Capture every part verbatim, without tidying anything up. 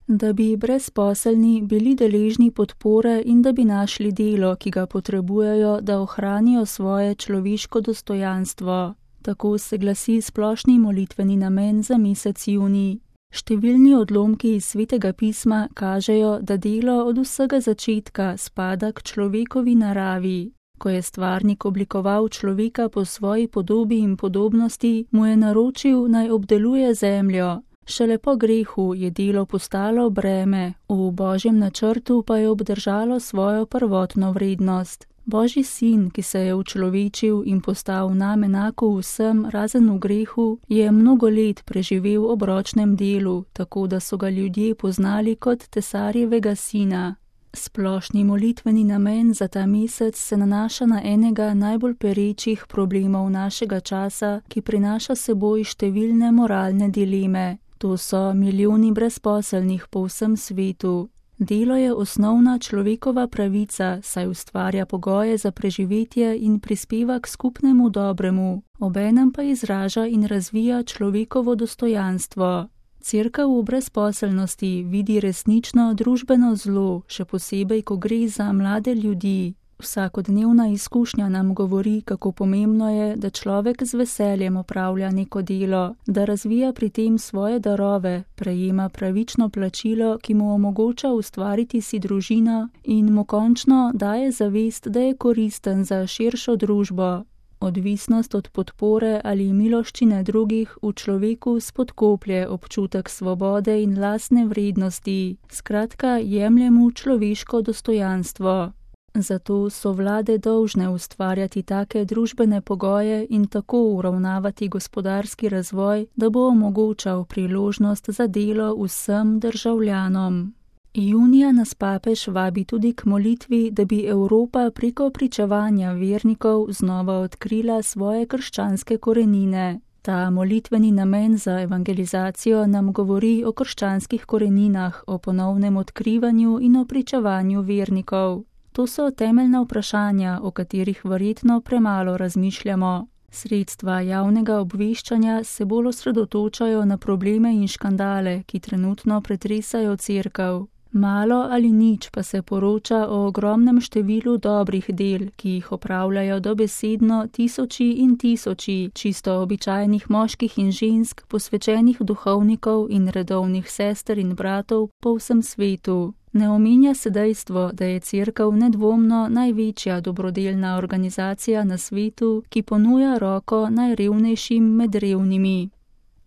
da bi brezposelni bili deležni podpore in da bi našli delo, ki ga potrebujejo, da ohranijo svoje človeško dostojanstvo. Tako se glasi splošni molitveni namen za mesec junij. Številni odlomki iz Svetega pisma kažejo, da delo od vsega začetka spada k človekovi naravi. Ko je stvarnik oblikoval človeka po svoji podobi in podobnosti, mu je naročil, naj obdeluje zemljo. Šele po grehu je delo postalo breme, v Božjem načrtu pa je obdržalo svojo prvotno vrednost. Božji sin, ki se je učlovečil in postal nam enako vsem razen v grehu, je mnogo let preživel ob ročnem delu, tako da so ga ljudje poznali kot tesarjevega sina. Splošni molitveni namen za ta mesec se nanaša na enega najbolj perečih problemov našega časa, ki prinaša seboj številne moralne dileme. To so milijoni brezposelnih po vsem svetu. Delo je osnovna človekova pravica, saj ustvarja pogoje za preživetje in prispeva k skupnemu dobremu, obenem pa izraža in razvija človekovo dostojanstvo. Cerkev v brezposelnosti vidi resnično družbeno zlo, še posebej, ko gre za mlade ljudi. Vsakodnevna izkušnja nam govori, kako pomembno je, da človek z veseljem opravlja neko delo, da razvija pri tem svoje darove, prejema pravično plačilo, ki mu omogoča ustvariti si družino in mu končno daje zavest, da je koristen za širšo družbo. Odvisnost od podpore ali miloščine drugih v človeku spodkoplje občutek svobode in lastne vrednosti, skratka jemlje mu človeško dostojanstvo. Zato so vlade dolžne ustvarjati take družbene pogoje in tako uravnavati gospodarski razvoj, da bo omogočal priložnost za delo vsem državljanom. Junija nas papež vabi tudi k molitvi, da bi Evropa preko pričevanja vernikov znova odkrila svoje krščanske korenine. Ta molitveni namen za evangelizacijo nam govori o krščanskih koreninah, o ponovnem odkrivanju in o pričevanju vernikov. To so temeljna vprašanja, o katerih verjetno premalo razmišljamo. Sredstva javnega obveščanja se bolj osredotočajo na probleme in škandale, ki trenutno pretresajo cerkev. Malo ali nič pa se poroča o ogromnem številu dobrih del, ki jih opravljajo dobesedno tisoči in tisoči čisto običajnih moških in žensk, posvečenih duhovnikov in redovnih sester in bratov po vsem svetu. Ne omenja se dejstvo, da je cerkev nedvomno največja dobrodelna organizacija na svetu, ki ponuja roko najrevnejšim med revnimi.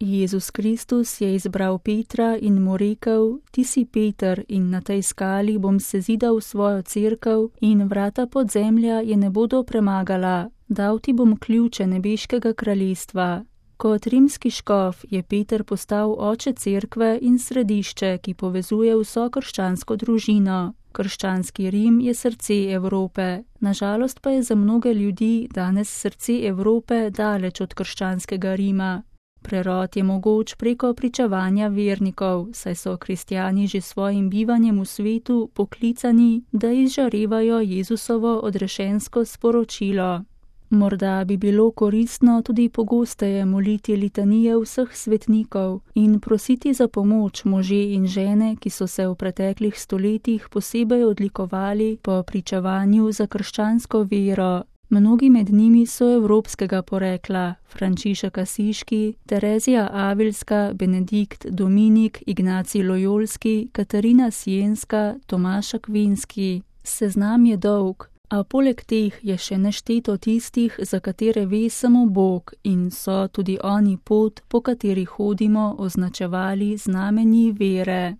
Jezus Kristus je izbral Petra in mu rekel: Ti si Peter in na tej skali bom sezidal svojo cerkev in vrata podzemlja je ne bodo premagala. Dal ti bom ključe nebeškega kraljestva. Kot rimski škof je Peter postal oče cerkve in središče, ki povezuje vso krščansko družino. Krščanski Rim je srce Evrope. Nažalost pa je za mnoge ljudi danes srce Evrope daleč od krščanskega Rima. Prerod je mogoč preko pričevanja vernikov, saj so kristjani že svojim bivanjem v svetu poklicani, da izžarevajo Jezusovo odrešensko sporočilo. Morda bi bilo koristno tudi pogosteje moliti litanije vseh svetnikov in prositi za pomoč može in žene, ki so se v preteklih stoletjih posebej odlikovali po pričevanju za krščansko vero. Mnogi med njimi so evropskega porekla: Frančišek Asiški, Terezija Avilska, Benedikt Dominik, Ignacij Lojolski, Katarina Sienska, Tomaš Akvinski. Seznam je dolg, a poleg teh je še nešteto tistih, za katere ve samo Bog in so tudi oni pot, po kateri hodimo, označevali znamenji vere.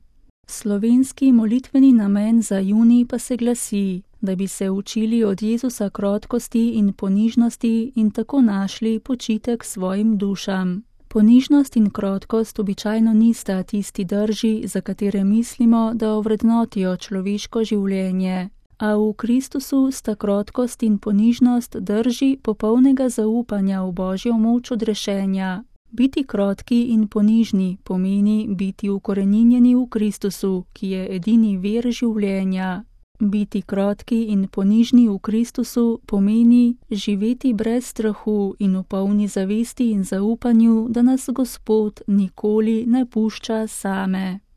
Slovenski molitveni namen za junij pa se glasi, da bi se učili od Jezusa krotkosti in ponižnosti in tako našli počitek svojim dušam. Ponižnost in krotkost običajno nista tisti drži, za katere mislimo, da ovrednotijo človeško življenje. A v Kristusu sta krotkost in ponižnost drži popolnega zaupanja v Božjo moč odrešenja. Biti krotki in ponižni pomeni biti ukoreninjeni v Kristusu, ki je edini vir življenja. Biti krotki in ponižni v Kristusu pomeni živeti brez strahu in v polni zavesti in zaupanju, da nas Gospod nikoli ne pušča same.